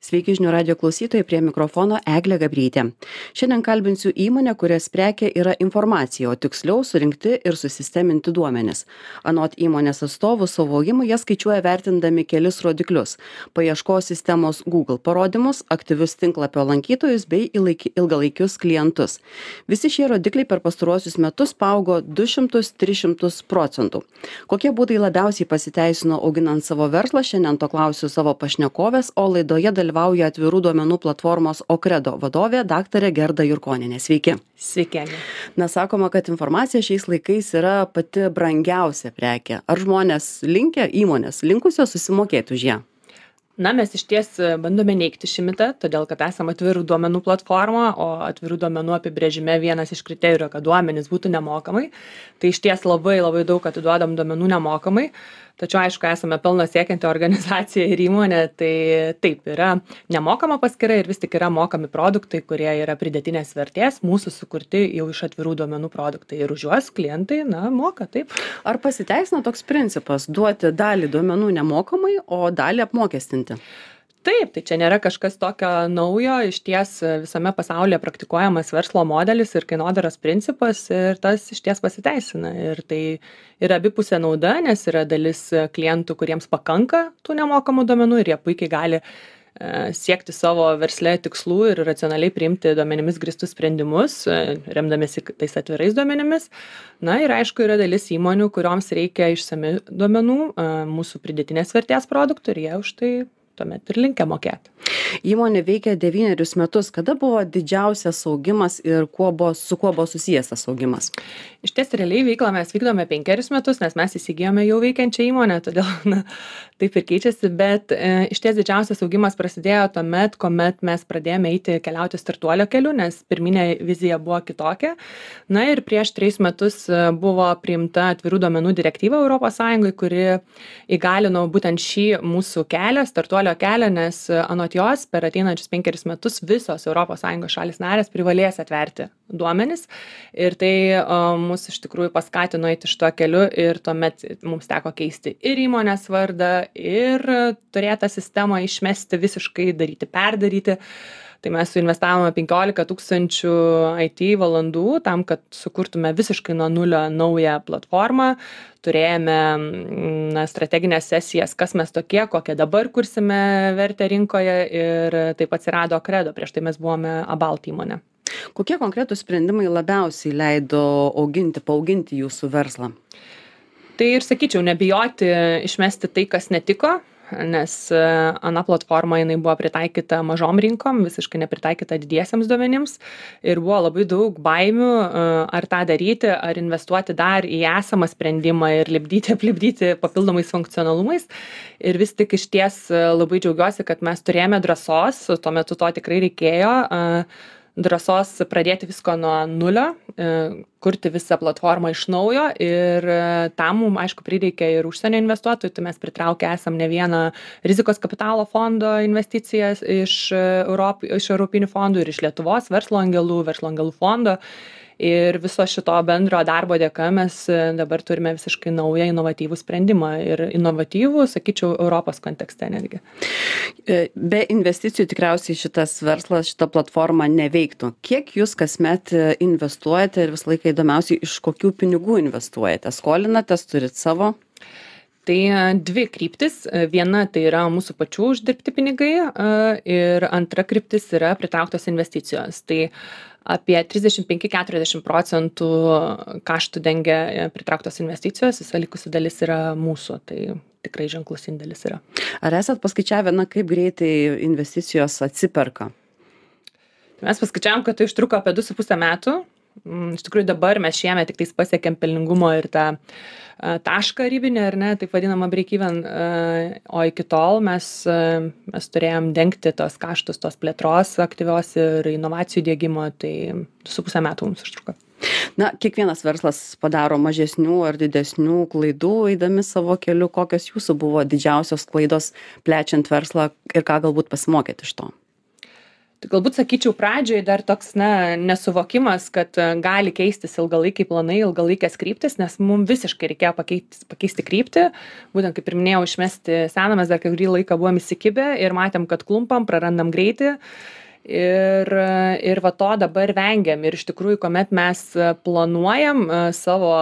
Sveiki žinių radio klausytojai, prie mikrofono Eglė Gabrytė. Šiandien kalbinsiu įmonę, kurios prekė yra informacija, o tiksliau surinkti ir susisteminti duomenis. Anot įmonės atstovų, savo augimą jie skaičiuoja vertindami kelis rodiklius - paieškos sistemos Google parodymus, aktyvius tinklapio lankytojus bei ilgalaikius klientus. Visi šie rodikliai per pastaruosius metus paaugo 200–300%. Kokie būdai labiausiai pasiteisino auginant savo verslą, šiandien to klausiu savo pašnekovės, o laidoje dalyvauja atvirų duomenų platformos Okredo vadovė daktarė Gerda Jurkonienė. Sveiki. Sveiki. Na, sakoma, kad informacija šiais laikais yra pati brangiausia prekė. Ar žmonės įmonės linkusios susimokėti už ją? Na, mes išties bandome neigti šį mitą, todėl kad esame atvirų duomenų platforma, o atvirų duomenų apibrėžime vienas iš kriterijų, kad duomenys būtų nemokamai. Tai išties labai daug atiduodam duomenų nemokamai. Tačiau, aišku, esame pelno siekianti organizacija ir įmonė, tai taip yra nemokama paskyra ir vis tik yra mokami produktai, kurie yra pridėtinės vertės, mūsų sukurti jau iš atvirų duomenų produktai ir už juos klientai, moka, taip. Ar pasiteisina toks principas duoti dalį duomenų nemokamai, o dalį apmokestinti? Taip, tai čia nėra kažkas tokio naujo, išties visame pasaulyje praktikuojamas verslo modelis ir kainodaros principas ir tas išties pasiteisina. Ir tai yra abipusė nauda, nes yra dalis klientų, kuriems pakanka tų nemokamų duomenų ir jie puikiai gali siekti savo versle tikslų ir racionaliai priimti duomenimis grįstus sprendimus, remdamiesi tais atvirais duomenimis. Na ir aišku, yra dalis įmonių, kurioms reikia išsami duomenų, mūsų pridėtinės vertės produktų ir jie už tai tuomet ir linkę mokėti. Įmonė veikia 9 metus. Kada buvo didžiausias augimas ir su kuo buvo susijęs tas augimas? Išties realiai veiklą mes vykdome 5 metus, nes mes įsigijome jau veikiančią įmonę, todėl taip ir keičiasi, bet išties didžiausias augimas prasidėjo tuomet, kuomet mes pradėjome keliauti startuolio keliu, nes pirminė vizija buvo kitokia. Na ir prieš 3 metus buvo priimta atvirų duomenų direktyva ES, kuri įgalino būtent šį mūsų kelią, startuolio kelią, nes anot jos per ateinančius 5 metus visos ES šalys narės privalės atverti duomenis ir tai mus iš tikrųjų paskatino eiti šituo keliu ir tuomet mums teko keisti ir įmonės vardą ir turėtą sistemą išmesti visiškai, perdaryti. Tai mes suinvestavome 15 000 IT valandų tam, kad sukurtume visiškai nuo nulio naują platformą. Turėjome strateginės sesijas, kas mes tokie, kokią dabar kursime vertę rinkoje ir taip atsirado Okredo. Prieš tai mes buvome Abalt įmonė. Kokie konkretūs sprendimai labiausiai leido paauginti jūsų verslą? Tai ir sakyčiau, nebijoti išmesti tai, kas netiko, nes ana platforma jinai buvo pritaikyta mažom rinkom, visiškai nepritaikyta didiesiems duomenims ir buvo labai daug baimių, ar tą daryti, ar investuoti dar į esamą sprendimą ir aplipdyti papildomais funkcionalumais. Ir vis tik išties labai džiaugiuosi, kad mes turėjome drąsos, tuo metu to tikrai reikėjo, drąsos pradėti visko nuo nulio, kurti visą platformą iš naujo ir tam mums, aišku, prireikia ir užsienio investuotojų, tai mes pritraukę esam ne vieną rizikos kapitalo fondo investicijas iš europinių fondų ir iš Lietuvos verslo angelų fondo. Ir viso šito bendro darbo dėka mes dabar turime visiškai naują inovatyvų sprendimą ir inovatyvų, sakyčiau, Europos kontekste netgi. Be investicijų tikriausiai šitas verslas, šita platforma neveiktų. Kiek jūs kasmet investuojate ir visą laiką įdomiausiai, iš kokių pinigų investuojate? Skolinatės, turit savo? Tai 2 kryptis. Viena tai yra mūsų pačių uždirbti pinigai ir antra kryptis yra pritrauktos investicijos. Tai apie 35–40% kaštų dengia pritrauktos investicijos, visa likusi dalis yra mūsų, tai tikrai ženklus indėlis yra. Ar esat paskaičiavę, kaip greitai investicijos atsiperka? Mes paskaičiavom, kad tai užtruko apie 2,5 metų. Iš tikrųjų dabar mes šiemet tik pasiekėm pelningumo ir tą tašką ribinį, ar ne, taip vadinamą break-even, o iki tol mes turėjom dengti tos kaštus, tos plėtros aktyvios ir inovacijų diegimo, tai 2,5 metų mums užtruko. Na, kiekvienas verslas padaro mažesnių ar didesnių klaidų eidami savo keliu. Kokios jūsų buvo didžiausios klaidos plečiant verslą ir ką galbūt pasimokėt iš to? Tai galbūt sakyčiau pradžioj dar toks nesuvokimas, kad gali keistis ilgalaikiai planai, ilgalaikės kryptis, nes mums visiškai reikėjo pakeisti kryptį. Būtent kaip ir minėjau, išmesti seną, mes dar kai kurį laiką buvom įsikibę ir matėm, kad klumpam, prarandam greitį. Ir va to dabar vengiam. Ir iš tikrųjų, kuomet mes planuojam savo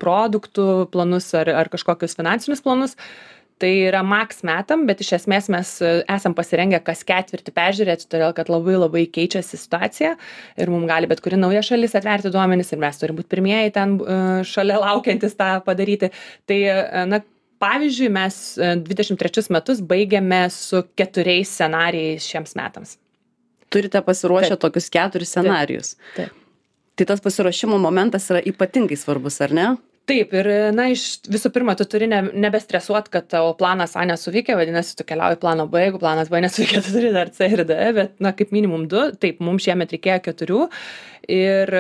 produktų planus ar kažkokius finansinius planus, tai yra maks metam, bet iš esmės mes esam pasirengę kas ketvirtį peržiūrėti, todėl kad labai labai keičiasi situacija ir mums gali bet kuri nauja šalis atverti duomenis ir mes turim būti pirmieji ten šalia laukiantis tą padaryti. Tai, pavyzdžiui, mes 23 metus baigėme su 4 scenarijais šiems metams. Turite pasiruošę tokius 4 scenarijus. Taip. Tai tas pasiruošimo momentas yra ypatingai svarbus, ar ne? Taip, ir visų pirma, tu turi nebestresuot, kad tavo planas A nesuveikė, vadinasi, tu keliauji plano B, jeigu planas B nesuveikė, tu turi dar C ir D, bet, kaip minimum 2, taip, mums šiemet reikėjo 4 ir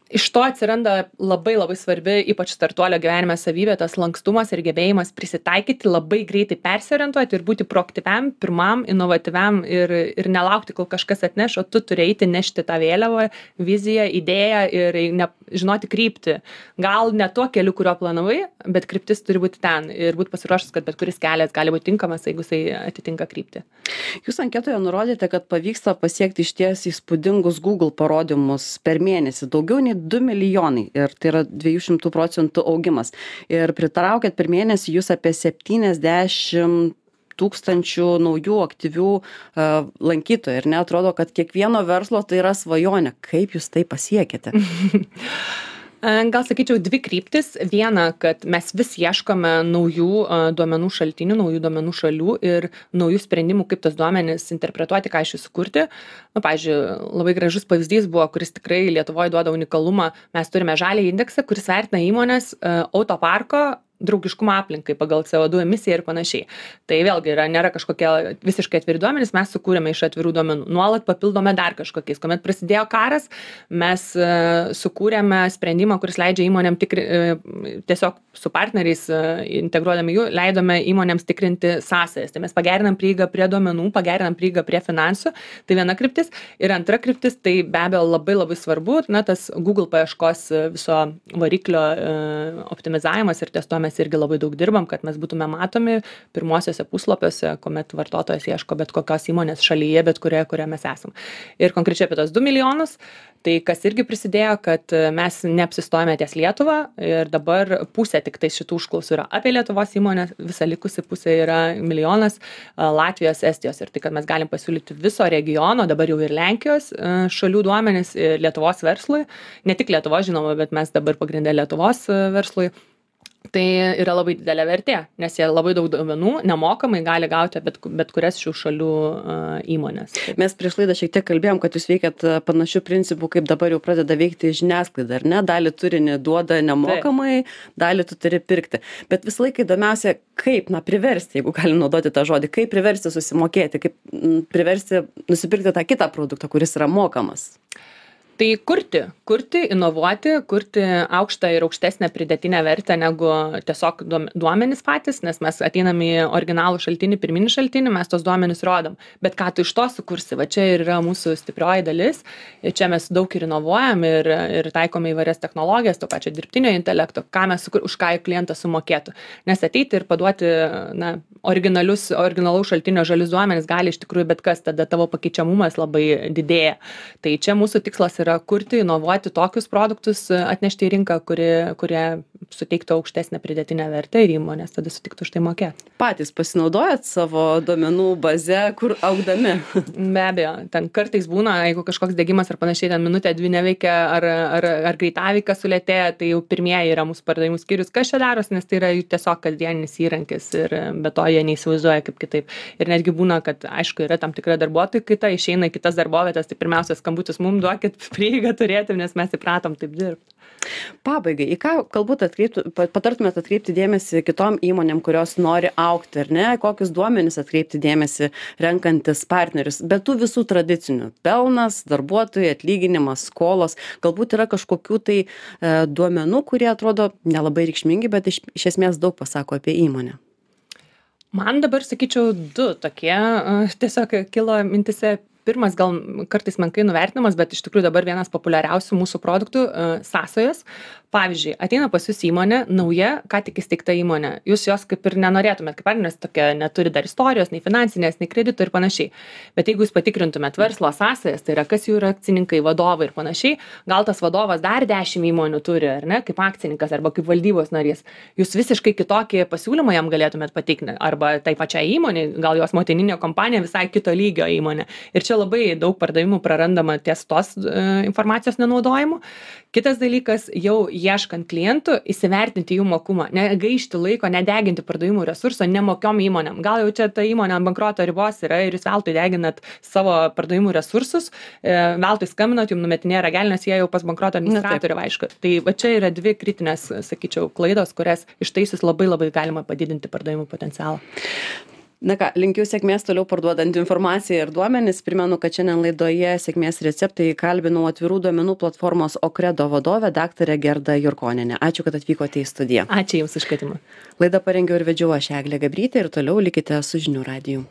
iš to atsiranda labai labai svarbi, ypač startuolio gyvenime savybė, tas lankstumas ir gebėjimas prisitaikyti, labai greitai persiorientuoti ir būti proaktyviam, pirmam, inovatyviam ir nelaukti, kol kažkas atneš, o tu turi eiti nešti tą vėliavą, viziją, idėją ir žinoti kryptį. Gal ne tuo keliu, kurio planavai, bet kryptis turi būti ten ir būti pasiruošęs, kad bet kuris kelias gali būti tinkamas, jeigu jisai atitinka kryptį. Jūs anketoje nurodėte, kad pavyksta pasiekti išties įspūdingus Google parodymus per mėnesį, daugiau nei 2 milijonai ir tai yra 200% augimas. Ir pritraukėt per mėnesį jūs apie 70 tūkstančių naujų aktyvių lankytojų ir neatrodo, kad kiekvieno verslo tai yra svajonė. Kaip jūs tai pasiekėte? Gal sakyčiau 2 kryptis. Viena, kad mes vis ieškome naujų duomenų šaltinių, naujų duomenų šalių ir naujų sprendimų, kaip tos duomenys interpretuoti, ką iš jų sukurti. Pavyzdžiui, labai gražus pavyzdys buvo, kuris tikrai Lietuvoje duoda unikalumą. Mes turime žalią indeksą, kuris vertina įmonės autoparko draugiškumą aplinkai pagal CO2 emisiją ir panašiai. Tai vėlgi nėra kažkokie visiškai atviri duomenys, mes sukūrėme iš atvirų duomenų. Nuolat papildome dar kažkokiais. Kuomet prasidėjo karas, mes sukūrėme sprendimą, kuris leidžia įmonėm tiesiog su partneriais integruodami jų, leidome įmonėms tikrinti sąsajas. Tai mes pagerinam prieigą prie duomenų, pagerinam prieigą prie finansų. Tai viena kryptis. Ir antra kryptis, tai be abejo labai labai svarbu, tas Google paieškos viso variklio optimizavimas ir ties to mes irgi labai daug dirbam, kad mes būtume matomi pirmosiuose puslapiuose, kuomet vartotojas ieško bet kokios įmonės šalyje, bet kurioje mes esam. Ir konkrečiai apie tos 2 milijonus, tai kas irgi prisidėjo, kad mes neapsistojame ties Lietuvą ir dabar pusė tik tai šitų užklausų yra apie Lietuvos įmonės, visa likusi pusė yra 1 milijonas Latvijos, Estijos ir tai, kad mes galim pasiūlyti viso regiono, dabar jau ir Lenkijos šalių duomenis Lietuvos verslui, ne tik Lietuvos žinoma, bet mes dabar pagrindė Lietuvos verslui. Tai yra labai didelė vertė, nes jie labai daug duomenų nemokamai gali gauti bet kurias šių šalių įmonės. Mes prieš laidą šiek tiek kalbėjom, kad jūs veikiat panašių principų, kaip dabar jau pradeda veikti žiniasklaida, ar ne? Dalį turinį duoda nemokamai, dalį tu turi pirkti. Bet visą laiką įdomiausia, kaip priversti, jeigu galim naudoti tą žodį, kaip priversti susimokėti, kaip priversti nusipirkti tą kitą produktą, kuris yra mokamas. Tai kurti, inovuoti, kurti aukštą ir aukštesnę pridėtinę vertę negu tiesiog duomenys patys, nes mes ateinam į originalų šaltinį, pirminį šaltinį, mes tos duomenys rodom. Bet ką tu iš to sukursi, va čia ir yra mūsų stiprioji dalis. Čia mes daug ir inovuojam ir taikome įvairias technologijas, to pačio dirbtinio intelekto, už ką klientas sumokėtų. Nes ateiti ir paduoti originalaus šaltinio žalius duomenys gali iš tikrųjų bet kas, tada tavo pakeičiamumas labai didėja. Tai čia mūsų tikslas yra kurti, inovuoti tokius produktus, atnešti į rinką, kurie suteiktų aukštesnę pridėtinę vertę ir įmonės tada sutiktų už tai mokėti. Patys pasinaudojat savo duomenų baze, kur augdami? Be abejo, ten kartais būna, jeigu kažkoks degimas ar panašiai, ten minutę 2 neveikia ar greitaveikas sulėtėja, tai jau pirmieji yra mūsų pardavimų skyrius, kas čia daros, nes tai yra tiesiog kasdieninis įrankis ir be to jie neįsivaizduoja kaip kitaip. Ir netgi būna, kad aišku yra tam tikra darbuotojų kaita, išeina į kitas darbovietas, tai pirmiausia skambutis mums duokit prieigą turėti, nes mes įpratom taip dirbti. Pabaigai, į ką galbūt patartumėt atkreipti dėmesį kitom įmonėm, kurios nori augti, ar ne? Kokius duomenis atkreipti dėmesį renkantis partnerius? Bet tų visų tradicinių. Pelnas, darbuotojai, atlyginimas, skolos. Galbūt yra kažkokių tai duomenų, kurie atrodo nelabai reikšmingi, bet iš esmės daug pasako apie įmonę. Man dabar sakyčiau 2 tokie, tiesiog kilo mintyse. Pirmas gal kartais menkai nuvertinamas, bet iš tikrųjų dabar vienas populiariausių mūsų produktų sąsajos. Pavyzdžiui, ateina pas jus įmonė, nauja, ką tik įsteigta įmonė. Jūs jos kaip ir nenorėtumėt, kaip partneris tokia neturi dar istorijos, nei finansinės, nei kredito ir panašiai. Bet jeigu jūs patikrintumėt verslo sąsajas, tai yra kas jų yra akcininkai, vadovai ir panašiai, gal tas vadovas dar 10 įmonių turi, ar ne, kaip akcininkas arba kaip valdybos narys. Jūs visiškai kitokį pasiūlymą jam galėtumėt pateikti, arba tai pačiai įmonei, gal jos motininė kompanija visai kito lygio įmonė. Ir čia labai daug pardavimų prarandama ties tos informacijos nenaudojimu. Kitas dalykas, jau ieškant klientų, įsivertinti jų mokumą, negaišti laiko, nedeginti pardavimų resurso nemokiom įmonėm. Gal jau čia ta įmonė ant bankroto ribos yra ir jūs veltui deginat savo pardavimų resursus, veltui skambinat, jums numetinėja ragelį, nes jie jau pas bankroto administratorių aišku. Tai va čia yra 2 kritinės, sakyčiau, klaidos, kurias ištaisius labai galima padidinti pardavimų potencialą. Na ką, linkiu sėkmės toliau parduodant informaciją ir duomenis. Primenu, kad šiandien laidoje sėkmės receptai kalbinau atvirų duomenų platformos Okredo vadovę daktarę Gerdą Jurkonienę. Ačiū, kad atvykote į studiją. Ačiū Jums už kvietimą. Laidą parengiau ir vedžiau aš Eglė Gabrytė ir toliau likite su žinių radiju.